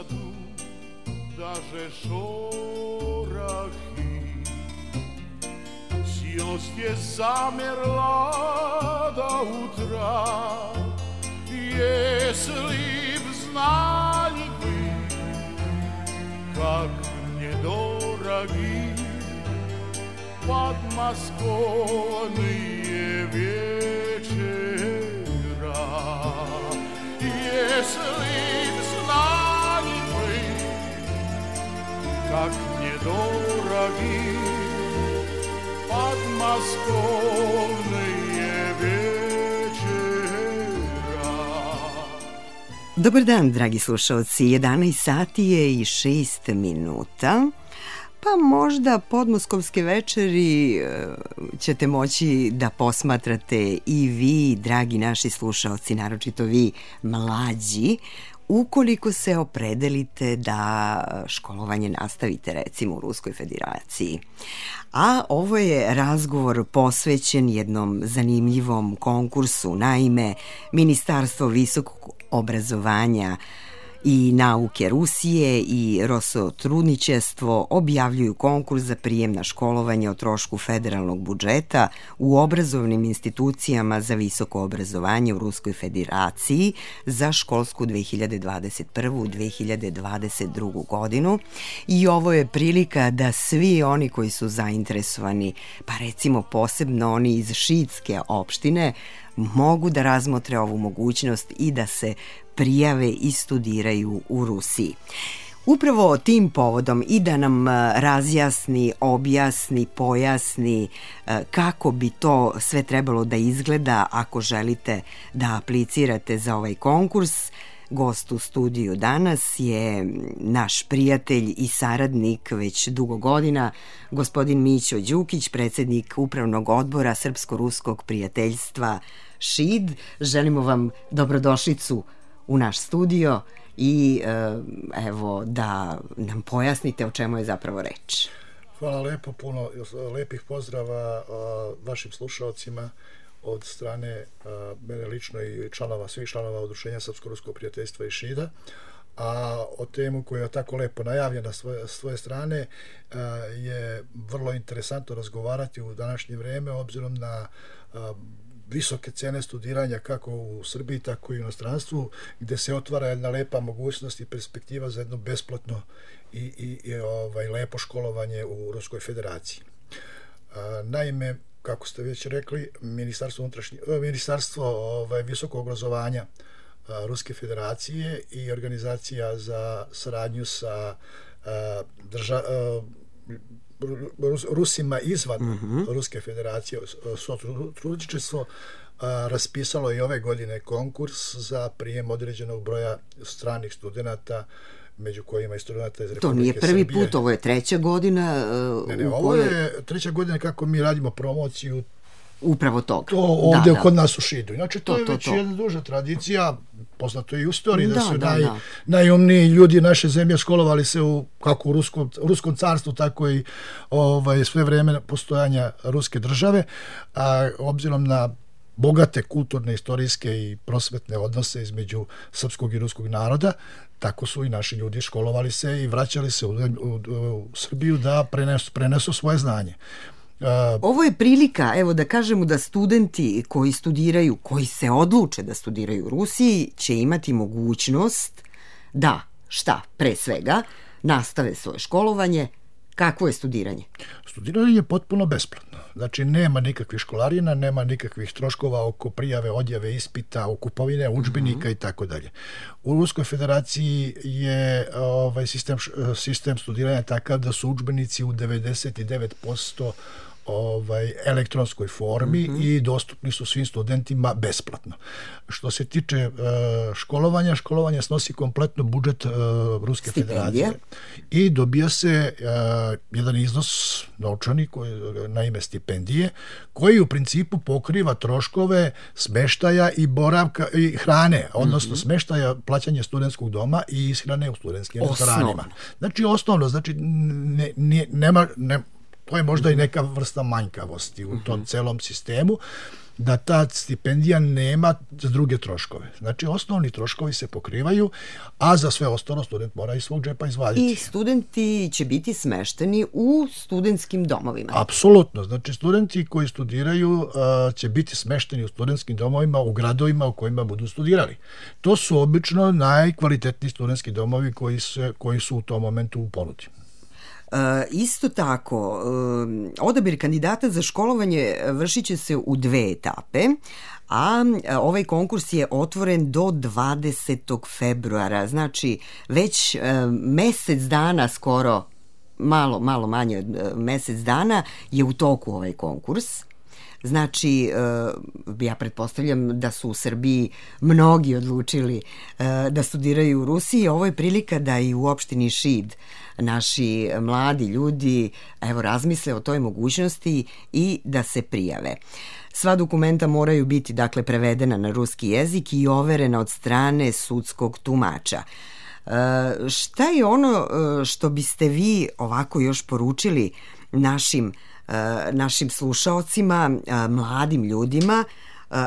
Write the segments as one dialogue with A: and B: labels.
A: gradu daže šorahi, sjelost je zamjerla da utra, jesli znali bi kak mě doragi padmaskovnije večera, jesli znali bi kak mě doragi padmaskovnije večera.
B: Dobar dan, dragi slušalci, 11 sati je i 6 minuta. Pa možda podmoskovske večeri ćete moći da posmatrate i vi, dragi naši slušalci, naročito vi mlađi, ukoliko se opredelite da školovanje nastavite recimo u Ruskoj Federaciji. A ovo je razgovor posvećen jednom zanimljivom konkursu. Naime, Ministarstvo visokog obrazovanja i nauke Rusije i Rosotrudničestvo objavljuju konkurs za prijem na školovanje o trošku federalnog budžeta u obrazovnim institucijama za visoko obrazovanje u Ruskoj Federaciji za školsku 2021-2022 godinu. I ovo je prilika da svi oni koji su zainteresovani, pa recimo posebno oni iz Šidske opštine, mogu da razmotre ovu mogućnost i da se prijave i studiraju u Rusiji. Upravo tim povodom i da nam razjasni, objasni, pojasni kako bi to sve trebalo da izgleda ako želite da aplicirate za ovaj konkurs, gost u studiju danas je naš prijatelj i saradnik već dugo godina, gospodin Mićo Đukić, predsjednik Upravnog odbora Srpsko-ruskog prijateljstva ŠID. Želimo vam dobrodošlicu u naš studio i evo da nam pojasnite o čemu je zapravo reč.
C: Hvala lepo, puno lepih pozdrava vašim slušalcima od strane mene lično i svih članova Udruženja Srpsko-ruskog prijateljstva i ŠID-a. A o temu koja je tako lepo najavljena s svoje strane je vrlo interesantno razgovarati u današnje vrijeme obzirom na visoke cene studiranja kako u Srbiji, tako i u inostranstvu, gdje se otvara jedna lepa mogućnost i perspektiva za jedno besplatno i lepo školovanje u Ruskoj Federaciji. Naime, kako ste već rekli, Ministarstvo visokog obrazovanja Ruske Federacije i organizacija za saradnju sa Rusima izvan Ruske Federacije, Sotrudničestvo, raspisalo je ove godine konkurs za prijem određenog broja stranih studenata, među kojima i studenta iz Republike Srbije.
B: To nije prvi put, ovo je treća godina.
C: Ovo je treća godina kako mi radimo promociju
B: upravo toga.
C: To ovdje kod nas u ŠID-u. Znači, to je već jedna duža tradicija, poznato je i u istoriji, da su najumniji ljudi naše zemlje školovali se kako u Ruskom carstvu, tako i sve vreme postojanja Ruske države, a obzirom na bogate kulturne, istorijske i prosvetne odnose između srpskog i ruskog naroda, tako su i naši ljudi školovali se i vraćali se u Srbiju da prenesu svoje znanje.
B: Ovo je prilika, evo da kažemo da studenti koji studiraju, koji se odluče da studiraju u Rusiji, će imati mogućnost da, pre svega, nastave svoje školovanje. Kakvo je studiranje?
C: Studiranje je potpuno besplatno. Znači, nema nikakvih školarina, nema nikakvih troškova oko prijave, odjave, ispita, o kupovine, udžbenika i tako dalje. U Ruskoj Federaciji je sistem studiranja takav da su udžbenici u 99% elektronskoj formi i dostupni su svim studentima besplatno. Što se tiče školovanja snosi kompletno budžet Ruske Federacije i dobija se jedan iznos novčani na ime stipendije, koji u principu pokriva troškove smeštaja i boravka i hrane, odnosno smeštaja, plaćanje studentskog doma i ishrane u studentskim restoranima. Znači osnovno, nema to je možda i neka vrsta manjkavosti u tom celom sistemu, da ta stipendija nema za druge troškove. Znači, osnovni troškovi se pokrivaju, a za sve ostalo student mora iz svog džepa izvaditi.
B: I studenti će biti smešteni u studentskim domovima.
C: Apsolutno. Znači, studenti koji studiraju će biti smešteni u studentskim domovima u gradovima u kojima budu studirali. To su obično najkvalitetniji studentski domovi koji su u tom momentu u ponudi.
B: Isto tako, odabir kandidata za školovanje vršit će se u 2 etape, a ovaj konkurs je otvoren do 20. februara, znači već mesec dana skoro, malo manje od mesec dana je u toku ovaj konkurs. Znači, ja pretpostavljam da su u Srbiji mnogi odlučili da studiraju u Rusiji. Ovo je prilika da i u opštini Šid naši mladi ljudi razmisle o toj mogućnosti i da se prijave. Sva dokumenta moraju biti prevedena na ruski jezik i overena od strane sudskog tumača. Šta je ono što biste vi ovako još poručili našim slušaocima, mladim ljudima,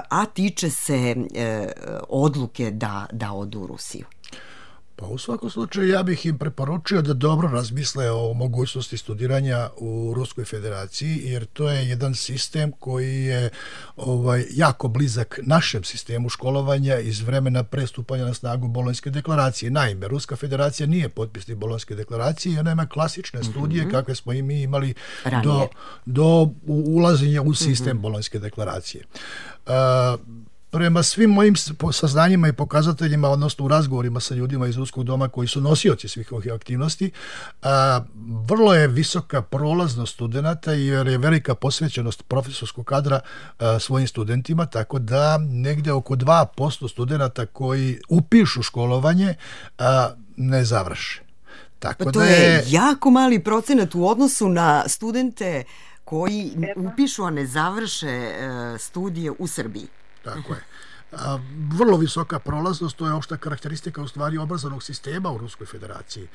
B: a tiče se odluke da odu u Rusiju?
C: Pa u svakom slučaju ja bih im preporučio da dobro razmisle o mogućnosti studiranja u Ruskoj federaciji, jer to je jedan sistem koji je jako blizak našem sistemu školovanja iz vremena prestupanja na snagu Bolonjske deklaracije. Naime, Ruska federacija nije potpisnik Bolonjske deklaracije i ona ima klasične studije kakve smo i mi imali do ulaženja u sistem Bolonjske deklaracije. Prema svim mojim saznanjima i pokazateljima, odnosno u razgovorima sa ljudima iz Ruskog doma koji su nosioci svih ovih aktivnosti, vrlo je visoka prolaznost studenata jer je velika posvećenost profesorskog kadra svojim studentima, tako da negde oko 2% studenata koji upišu školovanje ne završe.
B: Tako to je jako mali procenat u odnosu na studente koji upišu, a ne završe studije u Srbiji.
C: Tako je. Vrlo visoka prolaznost, to je opšta karakteristika u stvari obrazovnog sistema u Ruskoj federaciji.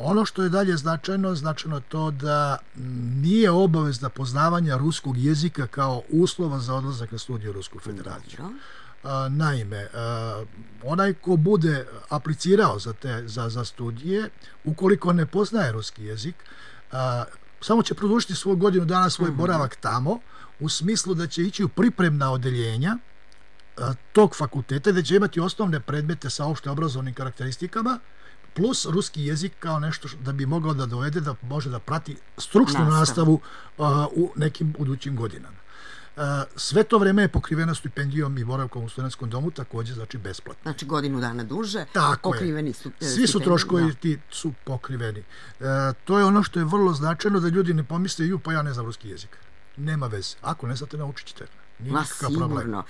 C: Ono što je dalje značajno to da nije obavezna poznavanja ruskog jezika kao uslova za odlazak na studije u Rusku federaciju. Naime, onaj ko bude aplicirao za studije, ukoliko ne poznaje ruski jezik, samo će produžiti svoju godinu dana svoj boravak tamo, u smislu da će ići u pripremna odeljenja tog fakulteta, da će imati osnovne predmete sa opšte obrazovnim karakteristikama, plus ruski jezik kao nešto da bi mogao da dovede da može da prati stručnu nastavu u nekim budućim godinama. Sve to vreme je pokriveno stipendijom i boravkom u studentskom domu, takođe znači besplatno.
B: Znači godinu dana duže, pokriveni su
C: svi su troškovi ti su pokriveni. To je ono što je vrlo značajno, da ljudi ne pomisle pa ja ne znam ruski jezik. Nema veze. Ako ne znate, naučit ćete.
B: Sigurno.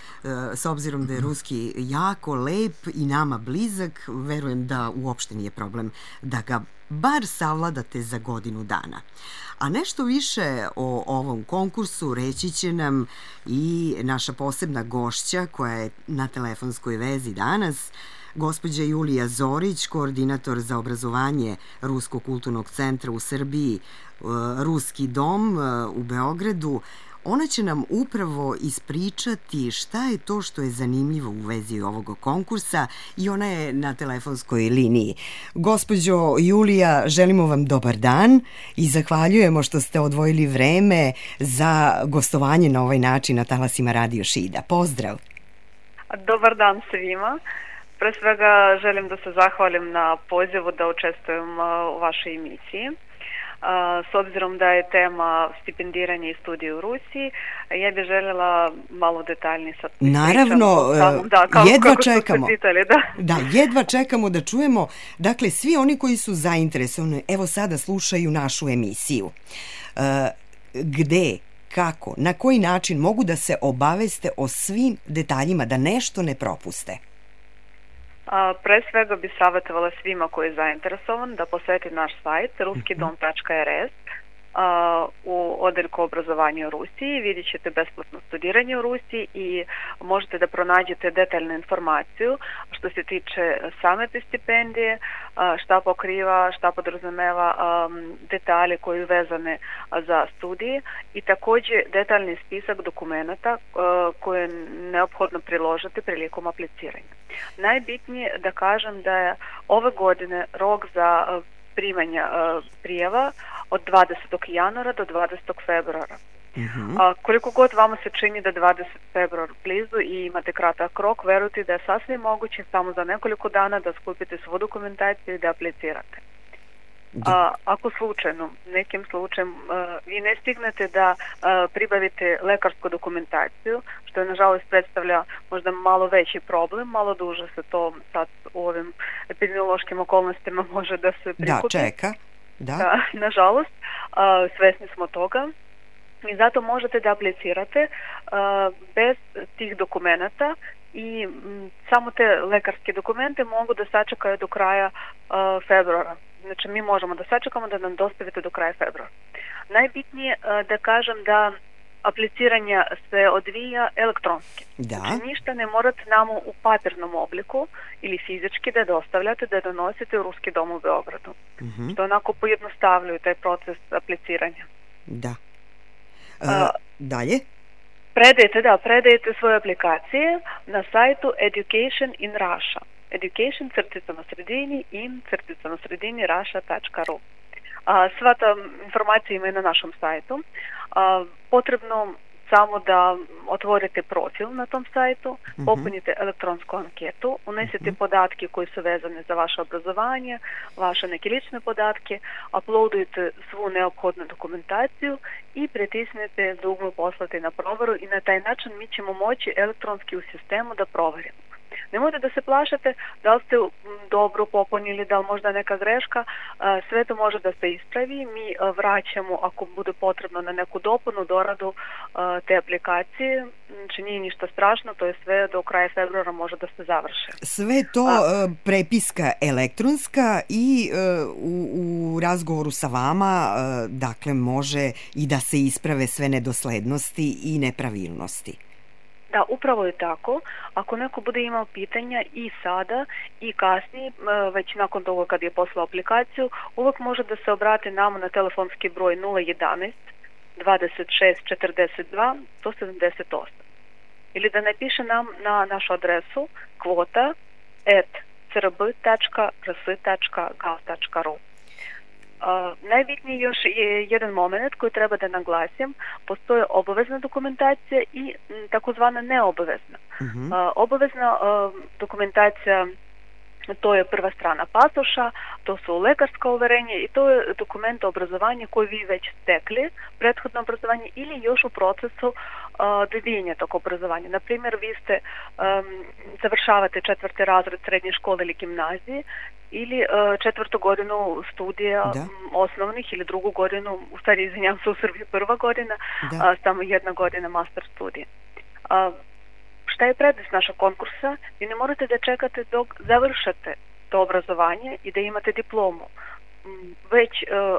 B: S obzirom da je ruski jako lep i nama blizak, verujem da uopšte nije problem da ga bar savladate za godinu dana. A nešto više o ovom konkursu reći će nam i naša posebna gošća koja je na telefonskoj vezi danas, gospođa Julija Zorić, koordinator za obrazovanje Ruskog kulturnog centra u Srbiji, Ruski dom u Beogradu. Ona će nam upravo ispričati šta je to što je zanimljivo u vezi ovog konkursa i ona je na telefonskoj liniji. Gospođo Julija, želimo vam dobar dan i zahvaljujemo što ste odvojili vreme za gostovanje na ovaj način na talasima Radio Šida. Pozdrav!
D: Dobar dan svima. Pre svega želim da se zahvalim na pozivu da učestvujem u vašoj emisiji. S obzirom da je tema stipendiranje i studije u Rusiji, ja bih željela malo detaljnije sad pričam.
B: Naravno, jedva čekamo. Jedva čekamo da čujemo. Dakle, svi oni koji su zainteresovani, evo sada slušaju našu emisiju. Gde, kako, na koji način mogu da se obaveste o svim detaljima, da nešto ne propuste?
D: Pre svega bi savjetovala svima koji je zainteresovan da poseti naš sajt ruskidom.rs u odeljku obrazovanja u Rusiji, vidjet ćete besplatno studiranje u Rusiji i možete da pronađete detaljnu informaciju što se tiče same te stipendije, šta pokriva, šta podrazumeva detalje koji su vezane za studije i također detaljni spisak dokumenata koje je neophodno priložiti prilikom apliciranja. Najbitnije da kažem da je ove godine rok za primanja prijava od 20. januara do 20. februara. Koliko god vama se čini da 20. februar blizu i imate kratak rok, verujte da je sasvim moguće samo za nekoliko dana da skupite svu dokumentaciju i da aplicirate. Ako slučajno, nekim slučajem, vi ne stignete da pribavite lekarsku dokumentaciju, što je nažalost predstavlja možda malo veći problem, malo duže se to sad u ovim epidemiološkim okolnostima može da se prikupi.
B: Da, čeka.
D: Da, nažalost, svesni smo toga. I zato možete da aplicirate bez tih dokumenata i samo te lekarske dokumente mogu da sačekaju do kraja februara. Znači mi možemo da sačekamo da nam dostavite do kraja februara. Najbitnije da kažem da apliciranje se odvija elektronski.
B: Da.
D: Znači ništa ne morate nam u papirnom obliku ili fizički da dostavljate, da donosite u Ruski dom u Beogradu. Što onako pojednostavljaju taj proces apliciranja.
B: Da. Dalje?
D: Predajete svoje aplikacije na sajtu Education in Russia. Education _in Russia.ru. Sva ta informacija ima i na našem sajtu. Potrebno samo da otvorite profil na tom sajtu, popunite elektronsku anketu, unesete podatke koji su vezane za vaše obrazovanje, vaše neke lične podatke, uploadujete svu neophodnu dokumentaciju i pritisnete dugme poslati na proveru i na taj način mi ćemo moći elektronski u sistemu da proverimo. Nemojte da se plašate da li ste dobro popunili, da li možda neka greška, sve to može da se ispravi, mi vraćamo ako bude potrebno na neku dopunu, doradu te aplikacije, znači nije ništa strašno, to je sve do kraja februara može da se završe.
B: Sve to prepiska elektronska i u razgovoru sa vama, dakle, može i da se isprave sve nedoslednosti i nepravilnosti.
D: Da, upravo je tako. Ako neko bude imao pitanja i sada i kasnije, već nakon toga kad je poslao aplikaciju, uvijek može da se obrati nama na telefonski broj 011 26 42 178 ili da napiše nam na našu adresu kvota@crb.rs.gov.ru. Najbitniji još je jedan moment koji treba da naglasim. Postoje obavezna dokumentacija i takozvana neobavezna. Obavezna dokumentacija, to je prva strana pasoša, to su lekarska uverenja i to je dokument o obrazovanju koji vi već stekli, prethodno obrazovanje ili još u procesu dobijanja tog obrazovanja. Naprimjer, vi ste završavate 4. razred srednje škole ili gimnazije ili 4. godinu studija osnovnih ili 2. godinu, u stvari izvinjam se, u Srbiji 1. godina, samo 1 godina master studija. Šta je prednost našeg konkursa? Vi ne morate da čekate dok završate to obrazovanje i da imate diplomu. Već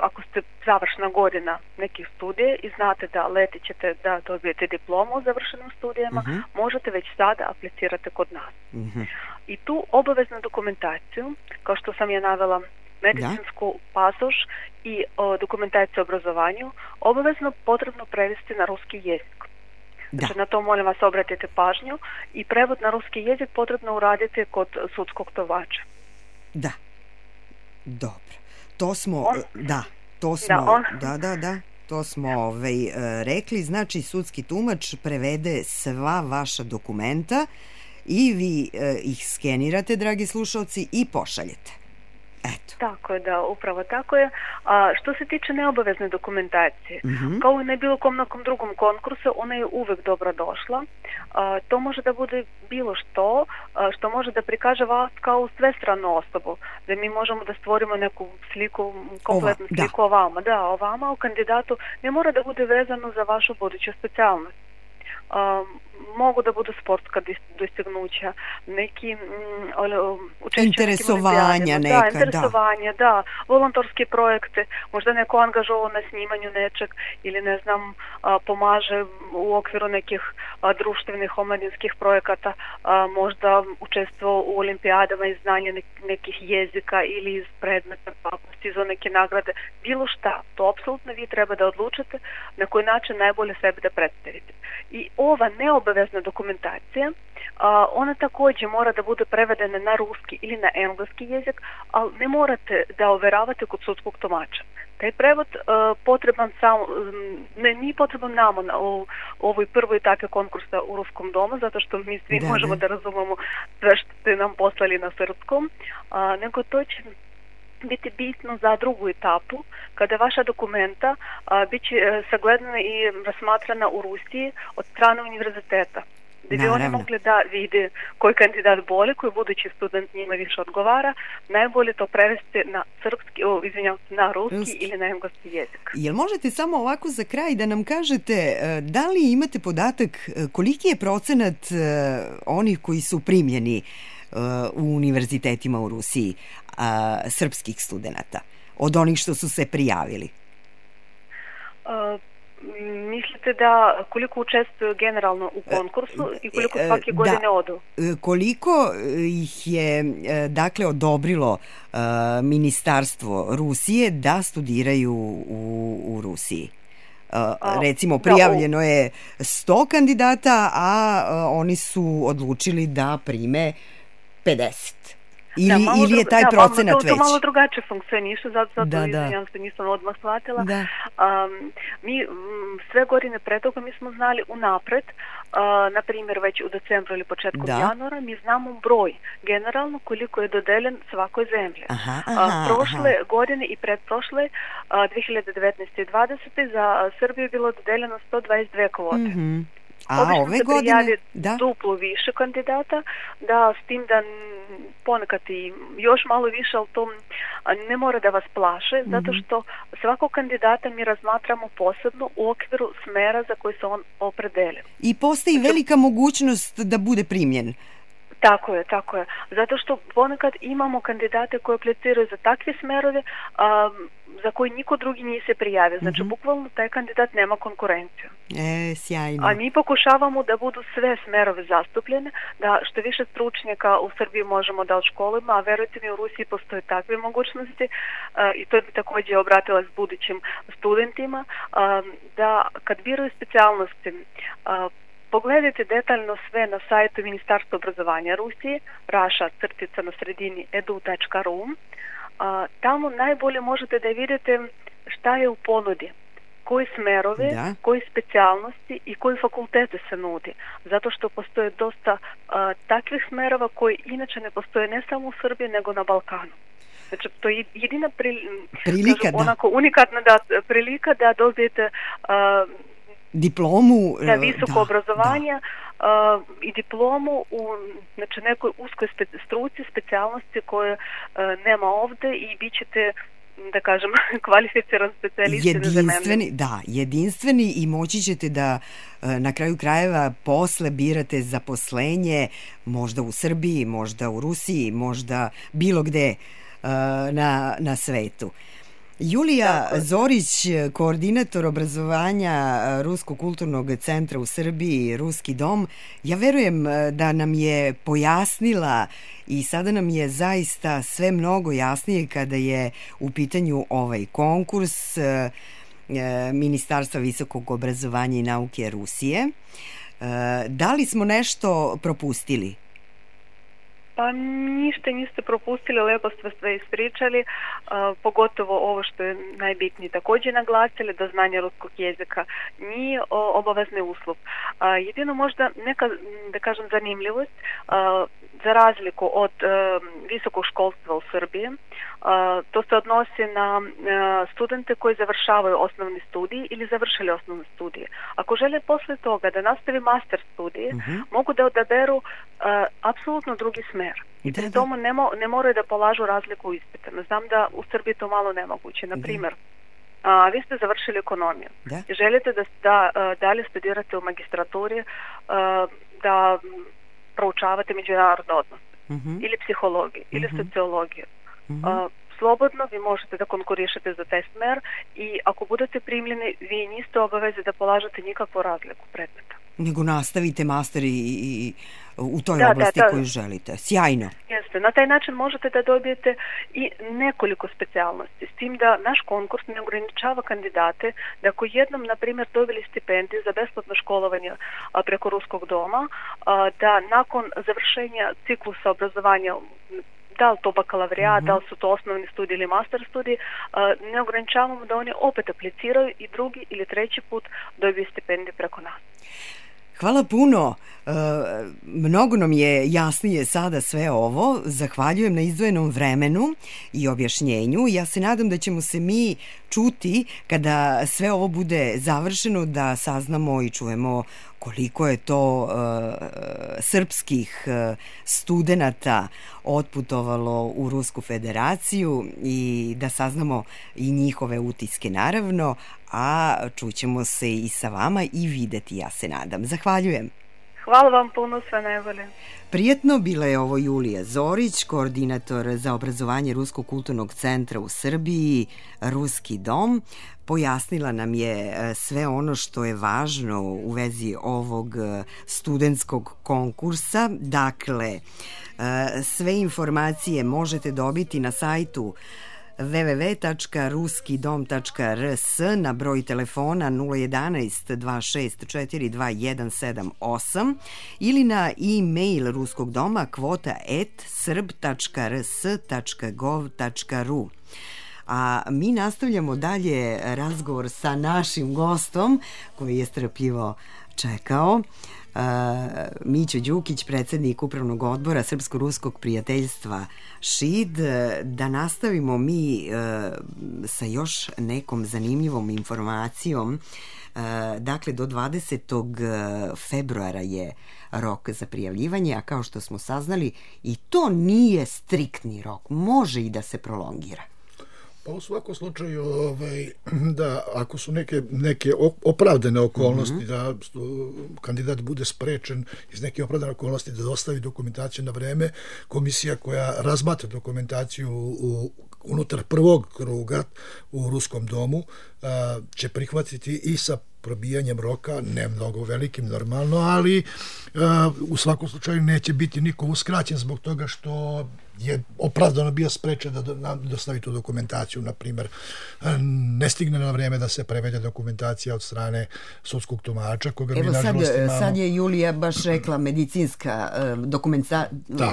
D: ako ste završna godina nekih studija i znate da leti ćete da dobijete diplomu o završenim studijama, možete već sada aplicirati kod nas. I tu obaveznu dokumentaciju, kao što sam je navela, medicinsku pasoš i dokumentaciju o obrazovanju, obavezno potrebno prevesti na ruski jezik. Znači, na to molim vas obratite pažnju i prevod na ruski jezik potrebno uraditi kod sudskog tovača.
B: Da, dobro. To smo, to smo rekli, znači sudski tumač prevede sva vaša dokumenta i vi ih skenirate, dragi slušalci, i pošaljete. Eto.
D: Tako je, da, upravo tako je. Što se tiče neobavezne dokumentacije, kao i na bilo kom nekom drugom konkursu, ona je uvek dobro došla. To može da bude bilo što može da prikaže vas kao svestranu osobu, da mi možemo da stvorimo neku sliku, kompletnu sliku o vama. Da, o vama, o kandidatu, ne mora da bude vezano za vašu buduću specijalnost. mogu da budu sportska dostignuća, neki učešće
B: interesovanja neka,
D: interesovanja, da, volontorske projekte, možda neko angažovao na snimanju nečeg ili ne znam, pomaže u okviru nekih društvenih omladinskih projekata, možda učestvovao u olimpijadama iz znanja nekih jezika ili iz predmeta, pa postizao neke nagrade, bilo šta, to apsolutno vi treba da odlučite na koji način najbolje sebe da predstavite. I ova neobavezna dokumentacija, ona takođe mora da bude prevedena na ruski ili na engleski jezik, ali ne morate da overavate kod sudskog tumača. Taj prevod potreban samo, nije potreban nama u ovoj prvoj etapi konkursa u Ruskom domu, zato što mi svi možemo da razumemo sve što ste nam poslali na srpskom, nego to će biti bitno za drugu etapu, kada vaša dokumenta bit će sagledana i razmatrana u Rusiji od strane univerziteta. Da bi oni mogli da vide koji kandidat bolje, koji budući student njima više odgovara, najbolje to prevesti na srpski, na ruski ili na engleski jezik.
B: Jel možete samo ovako za kraj da nam kažete da li imate podatak koliki je procenat onih koji su primljeni u univerzitetima u Rusiji srpskih studenta od onih što su se prijavili?
D: Mislite da koliko učestvuju generalno u konkursu i koliko svake godine odu?
B: Koliko ih je dakle odobrilo Ministarstvo Rusije da studiraju u Rusiji? Recimo prijavljeno je 100 kandidata, a oni su odlučili da prime 50. Ili je taj procenat već?
D: To malo drugačije funkcioniše, zato izvinjam se, nisam odmah shvatila. Mi sve godine pre toga mi smo znali unapred, na primjer već u decembru ili početkom januara, mi znamo broj generalno koliko je dodeljen svakoj zemlji. Prošle godine i predprošle, 2019. i 2020. za Srbiju je bilo dodeljeno 122 kvote. Obično se prijavi duplo više kandidata, da s tim da ponekad i još malo više, ali to ne mora da vas plaše, zato što svakog kandidata mi razmatramo posebno u okviru smera za koji se on opredelio.
B: I postoji velika mogućnost da bude primljen.
D: Tako je. Zato što ponekad imamo kandidate koji apliciraju za takve smerove za koji niko drugi nije se prijavio. Znači, bukvalno taj kandidat nema konkurenciju.
B: Sjajno.
D: A mi pokušavamo da budu sve smerove zastupljene, da što više stručnjaka u Srbiji možemo da odškolimo, a verujte mi, u Rusiji postoje takve mogućnosti i to bi također obratila s budućim studentima, da kad biraju specijalnosti, pogledajte detaljno sve na sajtu Ministarstva obrazovanja Rusije, rasha-edu.ru. Tamo najbolje možete da vidite šta je u ponudi, koji smerove, koji specijalnosti i koji fakultete se nudi. Zato što postoje dosta takvih smerova koji inače ne postoje ne samo u Srbiji, nego na Balkanu. Znači, to je jedina
B: prilika,
D: onako unikatna prilika da dobijete
B: diplomu
D: za visoko obrazovanje i diplomu u nekoj uskoj struci, specijalnosti koje nema ovde i bit ćete, da kažem, kvalificiran specijalist.
B: Jedinstveni i moći ćete da na kraju krajeva posle birate zaposlenje možda u Srbiji, možda u Rusiji, možda bilo gde na svetu. Julija Zorić, koordinator obrazovanja Ruskog kulturnog centra u Srbiji, Ruski dom, ja verujem da nam je pojasnila i sada nam je zaista sve mnogo jasnije kada je u pitanju ovaj konkurs Ministarstva visokog obrazovanja i nauke Rusije. Da li smo nešto propustili?
D: Pa ništa niste propustili, lepo ste sve ispričali, pogotovo ovo što je najbitnije također naglasili, da znanje ruskog jezika nije obavezni uslov. Jedino možda neka, da kažem, zanimljivost, za razliku od visokog školstva u Srbiji, to se odnosi na studente koji završavaju osnovni studij ili završili osnovne studije. Ako žele posle toga da nastavi master studije, mogu da odaberu apsolutno drugi smer. I pri tomu ne moraju da polažu razliku u ispitima. Znam da u Srbiji to malo nemoguće. Na primjer, vi ste završili ekonomiju.
B: Da.
D: I želite da dalje studirate u magistraturi, da proučavate međunarodne odnose, ili psihologiju, ili sociologiju. Slobodno vi možete da konkurišete za taj smer i ako budete primljeni, vi niste obavezi da polažete nikakvu razliku predmeta.
B: Nego nastavite master i u toj oblasti koju želite. Sjajno.
D: Jeste. Na taj način možete da dobijete i nekoliko specijalnosti. S tim da naš konkurs ne ograničava kandidate da ako jednom, na primjer, dobili stipendiju za besplatno školovanje preko Ruskog doma, da nakon završenja ciklusa obrazovanja, da li to bakalavrijat, da li su to osnovni studiji ili master studiji, ne ograničavamo da oni opet apliciraju i drugi ili treći put dobiju stipendiju preko nas.
B: Hvala puno. Mnogo nam je jasnije sada sve ovo. Zahvaljujem na izdvojenom vremenu i objašnjenju. Ja se nadam da ćemo se mi čuti kada sve ovo bude završeno, da saznamo i čujemo koliko je to srpskih studenata otputovalo u Rusku federaciju i da saznamo i njihove utiske naravno, a čućemo se i sa vama i videti, ja se nadam. Zahvaljujem.
D: Hvala vam puno, sve najbolje.
B: Prijetno, bila je ovo Julija Zorić, koordinator za obrazovanje Ruskog kulturnog centra u Srbiji, Ruski dom. Pojasnila nam je sve ono što je važno u vezi ovog studentskog konkursa. Dakle, sve informacije možete dobiti na sajtu www.ruskidom.rs, na broj telefona 011 264 2178 ili na e-mail Ruskog doma kvota@srb.rs.gov.ru. A mi nastavljamo dalje razgovor sa našim gostom koji je strpljivo čekao. Mićo Đukić, predsjednik Upravnog odbora Srpsko-ruskog prijateljstva ŠID. Da nastavimo mi sa još nekom zanimljivom informacijom. Dakle, do 20. februara je rok za prijavljivanje, a kao što smo saznali, i to nije striktni rok, može i da se prolongira.
C: Pa u svakom slučaju, da ako su neke opravdane okolnosti, da kandidat bude sprečen iz neke opravdane okolnosti da dostavi dokumentaciju na vreme, komisija koja razmatra dokumentaciju unutar prvog kruga u Ruskom domu će prihvatiti i sa probijanjem roka, ne mnogo velikim normalno, ali u svakom slučaju neće biti niko uskraćen zbog toga što je opravdano bio sprečen da dostavi tu dokumentaciju, na primjer ne stigne na vreme da se prevede dokumentacija od strane sudskog tumača, koga mi nažalost imamo.
B: Sad je Julija baš rekla, medicinska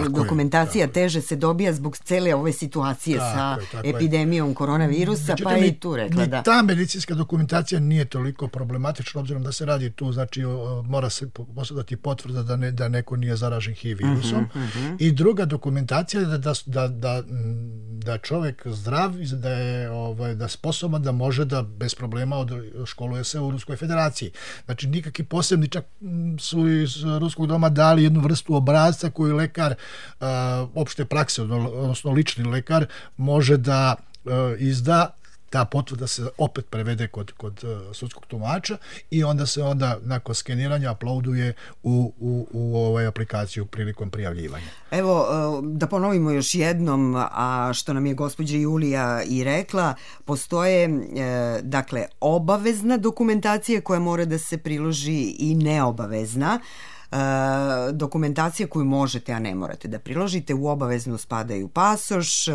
B: dokumentacija teže se dobija zbog cele ove situacije sa epidemijom koronavirusa, pa je i tu rekla da.
C: Ta medicinska dokumentacija nije toliko problematična, obzirom da se radi tu, znači mora se posjedati potvrda da neko nije zaražen HIV virusom. I druga dokumentacija je da čovjek zdrav, da je sposoban da može da bez problema školuje se u Ruskoj federaciji. Znači nikakvi posebni, čak su iz Ruskog doma dali jednu vrstu obrasca koju lekar opšte prakse, odnosno lični lekar, može da izda. Ta potvrda se opet prevede kod sudskog tumača i onda se nakon skeniranja uploaduje u aplikaciju prilikom prijavljivanja.
B: Evo, da ponovimo još jednom, a što nam je gospođa Julija i rekla, postoje dakle obavezna dokumentacija koja mora da se priloži i neobavezna. Dokumentacija koju možete, a ne morate da priložite. U obaveznu spadaju pasoš,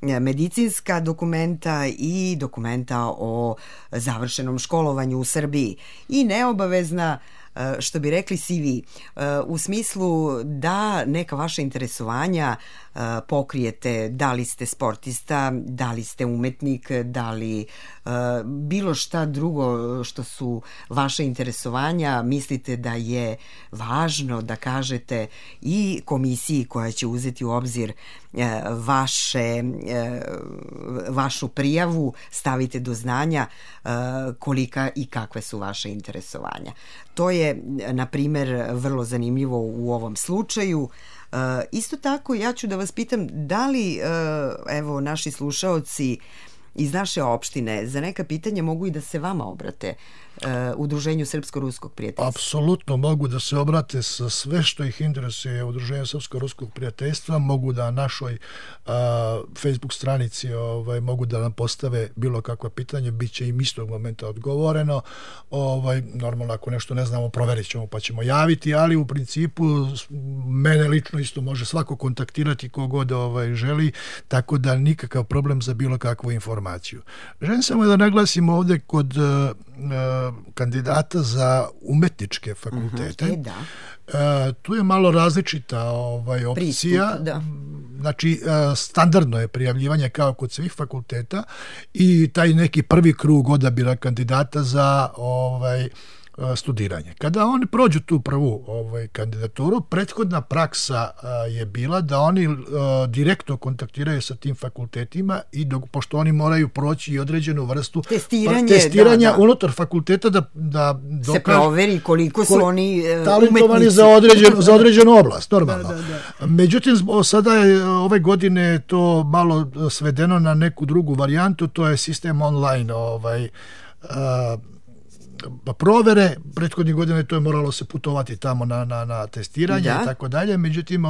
B: medicinska dokumenta i dokumenta o završenom školovanju u Srbiji. I neobavezna, što bi rekli CV, u smislu da neka vaša interesovanja pokrijete, da li ste sportista, da li ste umetnik, da li bilo šta drugo što su vaše interesovanja, mislite da je važno da kažete i komisiji koja će uzeti u obzir vašu prijavu, stavite do znanja kolika i kakve su vaše interesovanja. To je, na primjer, vrlo zanimljivo u ovom slučaju. Isto tako, ja ću da vas pitam da li, evo, naši slušaoci iz naše opštine za neka pitanja mogu i da se vama obrate Udruženju Srpsko-ruskog prijateljstva?
C: Apsolutno mogu da se obrate sa sve što ih interesuje Udruženju Srpsko-ruskog prijateljstva, mogu da na našoj Facebook stranici mogu da nam postave bilo kakva pitanja, bit će im istog momenta odgovoreno. Normalno, ako nešto ne znamo, proverit ćemo pa ćemo javiti, ali u principu mene lično isto može svako kontaktirati kogod želi, tako da nikakav problem za bilo kakvu informaciju. Želim samo da naglasim ovde kod kandidata za umetničke fakultete. Tu je malo različita opcija.
B: Pristup,
C: znači, standardno je prijavljivanje kao kod svih fakulteta i taj neki prvi krug odabira kandidata za studiranje. Kada oni prođu tu prvu kandidaturu, prethodna praksa je bila da oni direktno kontaktiraju sa tim fakultetima i pošto oni moraju proći i određenu vrstu testiranja unutar fakulteta da
B: se proveri koliko su oni
C: talentovani za određenu oblast, normalno. Međutim, sada je ove godine to malo svedeno na neku drugu varijantu, to je sistem online provere. Prethodnih godina to je moralo se putovati tamo na testiranje i tako dalje. Međutim,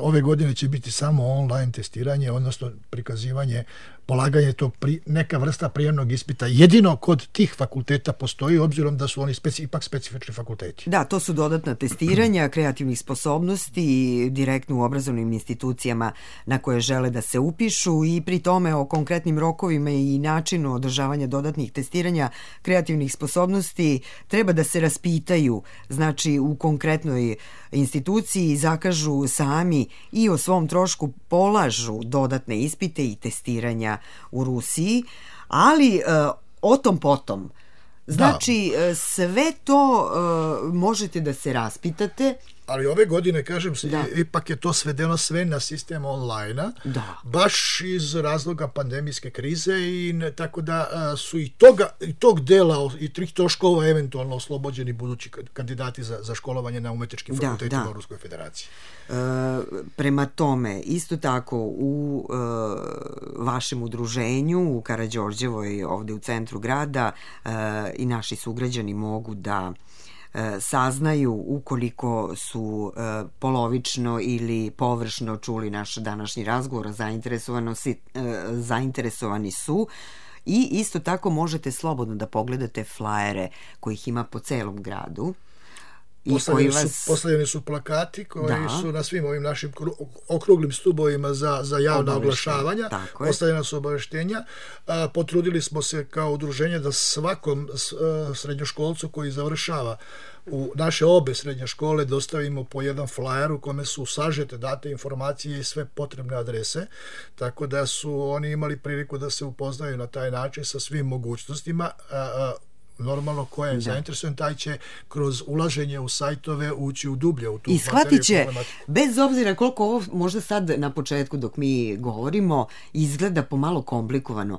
C: ove godine će biti samo online testiranje, odnosno prikazivanje, polaganje tog neka vrsta prijemnog ispita. Jedino kod tih fakulteta postoji, obzirom da su oni ipak specifični fakulteti.
B: Da, to su dodatna testiranja kreativnih sposobnosti direktno u obrazovnim institucijama na koje žele da se upišu i pri tome o konkretnim rokovima i načinu održavanja dodatnih testiranja kreativnih sposobnosti treba da se raspitaju, znači u konkretnoj instituciji zakažu sami i o svom trošku polažu dodatne ispite i testiranja u Rusiji, ali o tom potom. Znači, sve to možete da se raspitate.
C: Ali ove godine, kažem se, ipak je to svedeno sve na sistem online-a, baš iz razloga pandemijske krize i tako da su i tog dela i tih troškova eventualno oslobođeni budući kandidati za školovanje na umetničkim fakultetima u Ruskoj federaciji.
B: Prema tome, isto tako u vašem udruženju u Karađorđevoj, ovde u centru grada, i naši sugrađani mogu da saznaju ukoliko su polovično ili površno čuli naš današnji razgovor, zainteresovani su, i isto tako možete slobodno da pogledate flajere kojih ima po celom gradu.
C: Postavljeni su plakati koji su na svim ovim našim okruglim stubovima za javna oglašavanja, postavljena su obaveštenja. Potrudili smo se kao udruženje da svakom srednjoškolcu koji završava u naše obe srednje škole dostavimo po jedan flajer u kome su sažete date informacije i sve potrebne adrese, tako da su oni imali priliku da se upoznaju na taj način sa svim mogućnostima. Normalno, ko je zainteresovan, taj će kroz ulaženje u sajtove ući u dublje u tu materiju.
B: I shvatit će, bez obzira koliko ovo možda sad na početku dok mi govorimo izgleda pomalo komplikovano,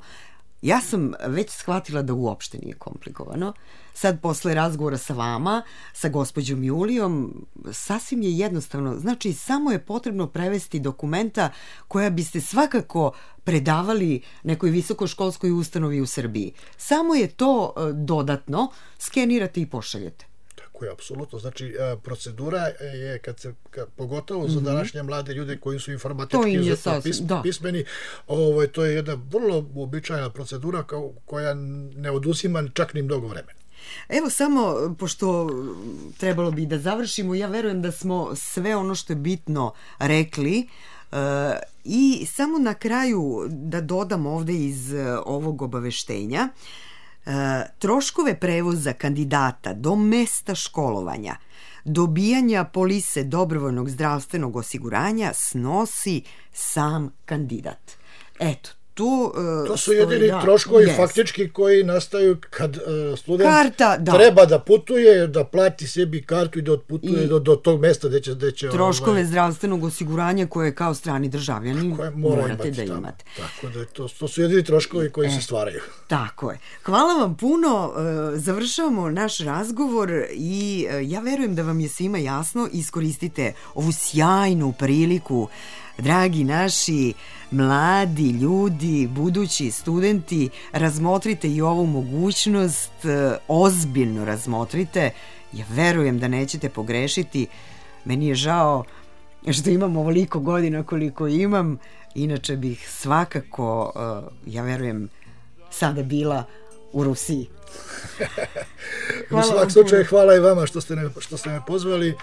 B: ja sam već shvatila da uopšte nije komplikovano. Sad, posle razgovora sa vama, sa gospođom Julijom, sasvim je jednostavno. Znači, samo je potrebno prevesti dokumenta koja biste svakako predavali nekoj visokoškolskoj ustanovi u Srbiji. Samo je to dodatno skenirate i pošaljete.
C: Tako je, apsolutno. Znači, procedura je, pogotovo za današnje mlade ljude koji su informatički pismeni, to je jedna vrlo uobičajena procedura koja ne oduzima čak ni mnogo vremena.
B: Evo samo, pošto trebalo bi da završimo, ja verujem da smo sve ono što je bitno rekli, i samo na kraju da dodam ovde iz ovog obaveštenja, troškove prevoza kandidata do mesta školovanja, dobijanja polise dobrovoljnog zdravstvenog osiguranja snosi sam kandidat. Eto, to su jedini troškovi faktički koji nastaju kad student treba da putuje, da plati sebi kartu i da otputuje do tog mesta gde će troškove zdravstvenog osiguranja koje kao strani državljani morate da imate.
C: Tako da to su jedini troškovi koji se stvaraju.
B: Tako je. Hvala vam puno. Završavamo naš razgovor i ja verujem da vam je svima jasno. Iskoristite ovu sjajnu priliku dragi naši mladi ljudi, budući studenti, razmotrite i ovu mogućnost, ozbiljno razmotrite. Ja verujem da nećete pogrešiti. Meni je žao što imam ovoliko godina koliko imam, inače bih svakako, ja verujem, sada bila u Rusiji.
C: U svak slučaju hvala i vama što ste me pozvali,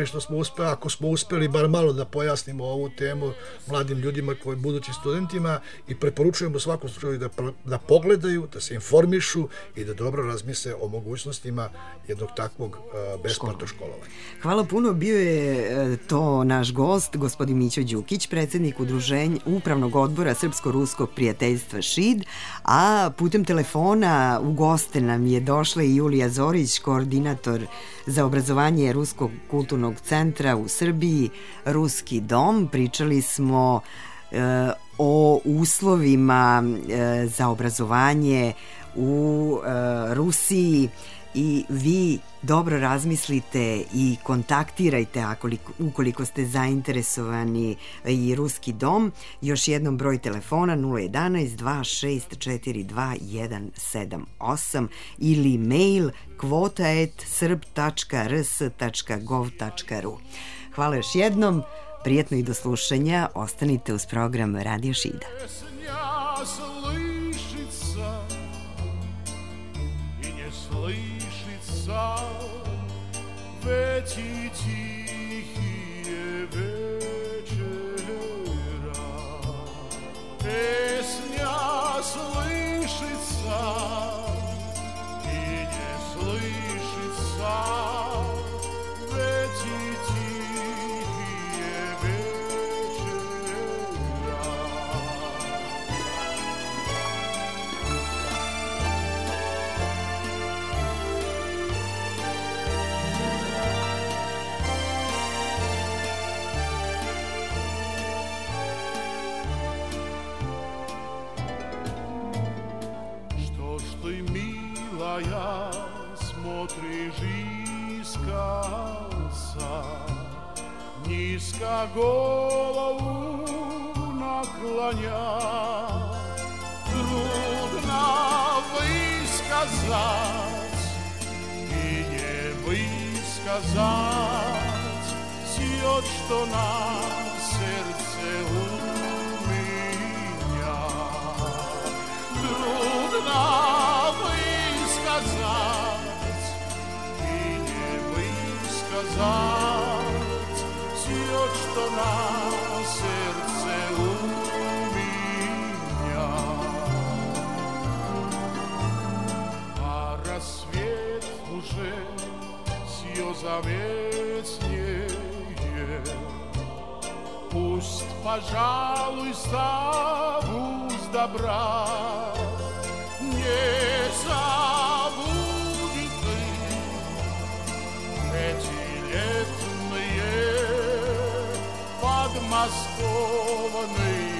C: što smo uspeli, ako smo uspeli bar malo da pojasnimo ovu temu mladim ljudima, koji budućim studentima, i preporučujemo u svakom slučaju da pogledaju, da se informišu i da dobro razmisle o mogućnostima jednog takvog besplatnog školovanja.
B: Hvala puno, bio je to naš gost, gospodin Mićo Đukić, predsjednik udruženja Upravnog odbora Srpsko-ruskog prijateljstva ŠID, a putem telefona u goste nam je došla i Julija Zorić, koordinator za obrazovanje Ruskog kulturnog centra u Srbiji, Ruski dom. Pričali smo o uslovima za obrazovanje u Rusiji i vi dobro razmislite i kontaktirajte ukoliko ste zainteresovani i Ruski dom. Još jednom broj telefona 011 2642 178 ili mail kvota@srb.rs.gov.ru. Hvala još jednom, prijetno i do slušanja, ostanite uz program Radio Šida.
A: Već i tihije večera, pesnja slišit sam i nje slišit sam, već i tihije večera. Ja смотришь искоса, низко голову наклоня. Трудно высказать и не высказать все, что на сердце у меня. Трудно сказать и не высказать все, что на сердце у меня. А рассвет уже все заветнее, пусть, пожалуйста, пусть добра не забудет ты эти летние подмосковные